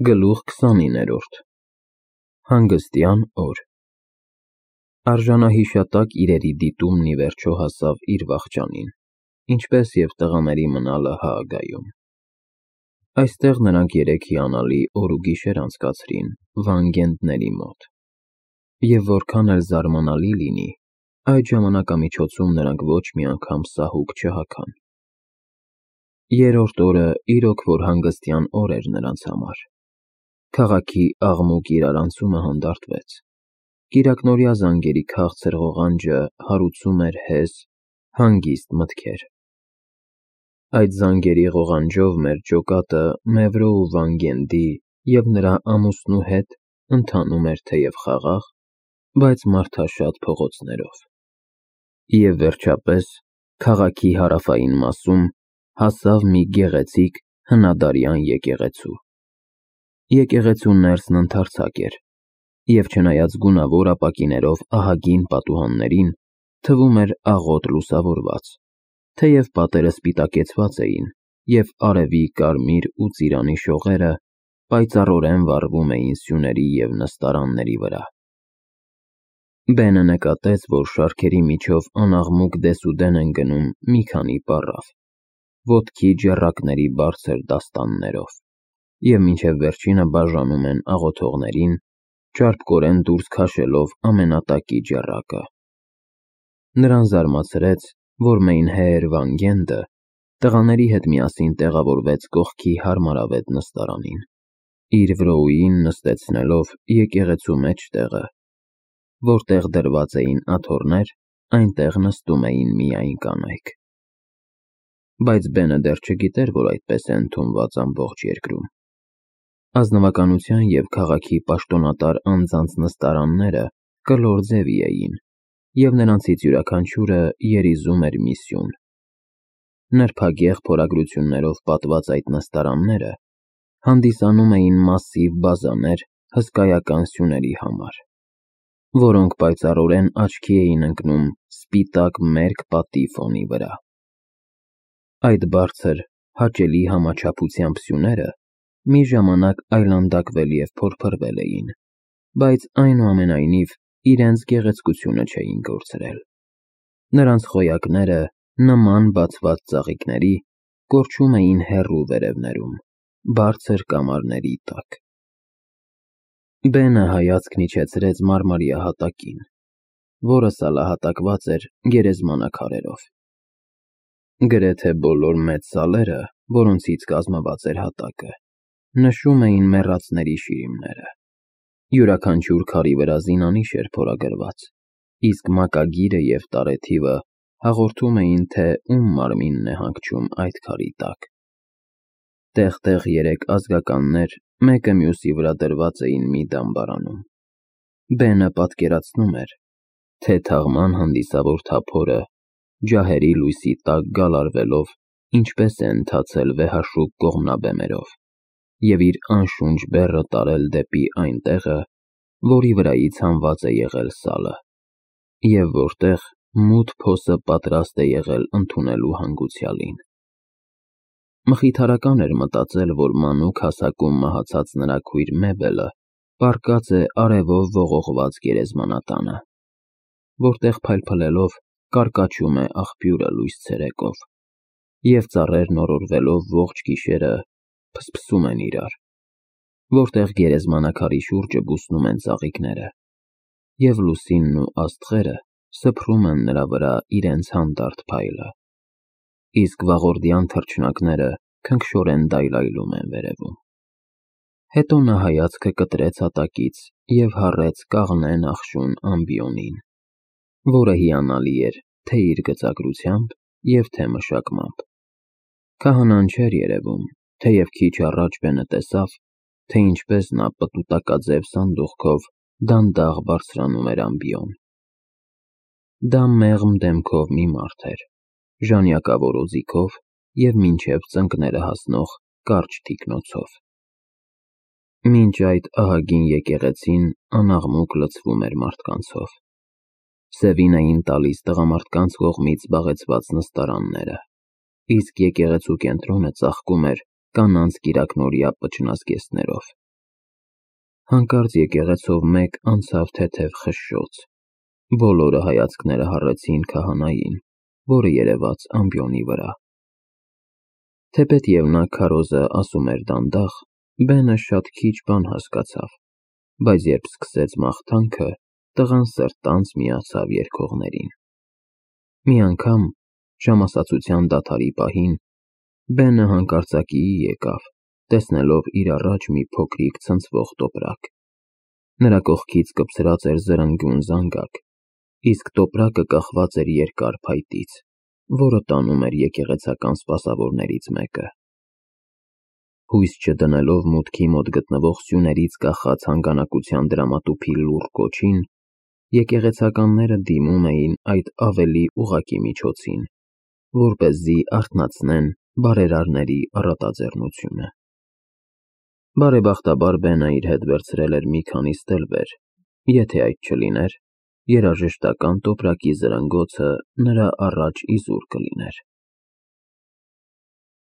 Գլուխ 29-րդ Հանգստյան օր Արժանահիշատակ իրերի դիտումն ի վերջո հասավ իր վախճանին, ինչպես և տղաների մնալը Հաագայում։ Այստեղ նրանք երեք հիանալի օր ու գիշեր անցկացրին Վանգենդների մոտ, և որքան էլ զարմանալի լինի, այդ ժամանակամիջոցում նրանք ոչ մի անգամ սահուկ չհագան։ Երրորդ օրը իրոք որ հանգստյան օր էր նրանց համար։ Քաղաքի աղմուկ իրարանցումը հանդարտվեց, կիրակնօրյա զանգերի քաղցր ղողանջը հարուցում էր հեզ, հանգիստ մտքեր։ Այդ զանգերի ղողանջով մեր ջոկատը Մևրո ու Վանգենդի և նրա ամուսնու հետ ընթանում էր թեև խաղաղ, բայց մարդաշատ փողոցներով։ Եվ վերջապես, քաղաքի հարավային մասում հասավ մի գեղեցիկ հնադարյան եկեղեցու։ Եկեղեցու ներսն ընդարձակ էր, և չնայած գունավոր ապակիներով ահագին պատուհաններին, թվում էր աղոտ լուսավորված, թեև պատերը սպիտակեցված էին, և արևի կարմիր ու ծիրանի շողերը պայծառորեն վառվում էին սյուների և նստարանների վրա։ Բենը նկատեց, որ շարքերի միջով անաղմուկ դեսուդեն են գնում մի քանի պառավ, ոտքի ջեռակների բարձր դաստաններով, և մինչև վերջինը բաժանում են աղոթողներին, ճարպկորեն դուրս քաշելով ամենատակի ջեռակը։ Նրան զարմացրեց, որ Մեյնհեեր Վանգենդը տղաների հետ միասին տեղավորվեց կողքի հարմարավետ նստարանին, իր վրոուին նստեցնելով եկեղեցու մեջտեղը, որտեղ դրված էին աթոռներ, այնտեղ նստում էին միայն կանայք։ Բայց Բենը դեռ չգիտեր, որ այդպես է ընդունված ամբողջ երկրում։ Ազնվականության և քաղաքի պաշտոնատար անձանց նստարանները կլոր ձևի էին, և նրանցից յուրաքանչյուրը երիզում էր մի սյուն։ Նրբագեղ փորագրություններով պատված այդ նստարանները հանդիսանում էին մասսիվ բազաներ հսկայական սյուների համար, որոնք պայծառորեն աչքի էին ընկնում սպիտակ մերկ պատի ֆոնի վրա։ Այդ բարձր, հաճելի համաչափությամբ սյուները մի ժամանակ այլանդակվել և փորփրվել էին, բայց այնուամենայնիվ իրենց գեղեցկությունը չէին կորցրել։ Նրանց խոյակները, նման բացված ծաղիկների, կորչում էին հեռու վերևներում, բարձր կամարների տակ։ Բենը հայացքն իջեցրեց մարմարյա հատակին, որը սալահատակված էր գերեզմանաքարերով։ Գրեթե բոլոր մեծ սալերը, որոնցից կազմված էր հատակը, նշում էին մեռածների շիրիմները։ Յուրաքանչյուր քարի վրա զինանիշ էր փորագրված, իսկ մակագիրը և տարեթիվը հաղորդում էին, թե ում մարմինն է հանգչում այդ քարի տակ։ Տեղ-տեղ երեք ազգականներ մեկը մյուսի վրա դրված էին մի դամբարանում։ Բենը պատկերացնում էր, թե թաղման հանդիսավոր թափորը, ջահերի լույսի տակ գալարվելով, ինչպես է ընթացել վեհաշուկ կողմնաբեմերով, և իր անշունչ բեռը տարել դեպի այն տեղը, որի վրայից հանված է եղել սալը, և որտեղ մութ փոսը պատրաստ է եղել ընդունելու հանգուցյալին։ Մխիթարական էր մտածել, որ մանուկ հասակում մահացած նրա քույր Մեբելը պառկած է արևով ողողված գերեզմանատանը, որտեղ փայլփլելով կարկաչում է աղբյուրը լույս ցերեկով, և ծառերն օրորվելով ողջ գիշերը փսփսում են իրար, որտեղ գերեզմանակարի շուրջը բուսնում են ծաղիկները, և լուսինն ու աստղերը սփռում են նրա վրա իրենց հանդարտ փայլը, իսկ վաղորդյան թռչնակները քնքշորեն դայլայլում են վերևում։ Հետո նա հայացքը կտրեց հատակից և հառեց կաղնե նախշուն ամբիոնին, որը հիանալի էր թե իր գծագրությամբ և թե մշակմամբ։ Քահանան չէր երևում, թեև քիչ առաջ Բենը տեսավ, թե ինչպես նա պտուտակաձև սանդուղքով դանդաղ բարձրանում էր ամբիոն։ Դա մեղմ դեմքով մի մարդ էր, ժանյակավոր օձիքով և մինչև ծնկները հասնող կարճ թիկնոցով։ Մինչ այդ ահագին եկեղեցին անաղմուկ լցվում էր մարդկանցով։ Սևին էին տալիս տղամարդկանց կողմից զբաղեցված նստարանները, իսկ եկեղեցու կենտրոնը ծաղկում էր կանանց կիրակնօրյա պճնազգեստներով, Հանկարծ եկեղեցով մեկ անցավ թեթև խշշոց։ Բոլորը հայացքները հառեցին քահանային, որը երևաց ամբիոնի վրա։ Թեպետև նա քարոզը ասում էր դանդաղ, Բենը շատ քիչ բան հասկացավ, բայց երբ սկսեց մաղթանքը, տղան սրտանց միացավ երգողներին։ Մի անգամ, ժամասացության դադարի պահին, Բենը հանկարծակիի եկավ, տեսնելով իր առաջ մի փոքրիկ ցնցվող տոպրակ։ Նրա կողքից կպցրած էր զրնգուն զանգակ, իսկ տոպրակը կախված էր երկար փայտից, որը տանում էր եկեղեցական սպասավորներից մեկը։ Հույս չդնելով մուտքի մոտ գտնվող սյուներից կախած հանգանակության դրամատուփի լուռ կոչին, եկեղեցականները դիմում էին այդ ավելի ուղղակի միջոցին, որպեսզի արթնացնեն բարերարների առատաձեռնությունը։ Բարեբախտաբար Բենը իր հետ վերցրել էր մի քանի ստելվեր, եթե այդ չլիներ, երաժշտական տոպրակի զրնգոցը նրա առաջ իզուր կլիներ։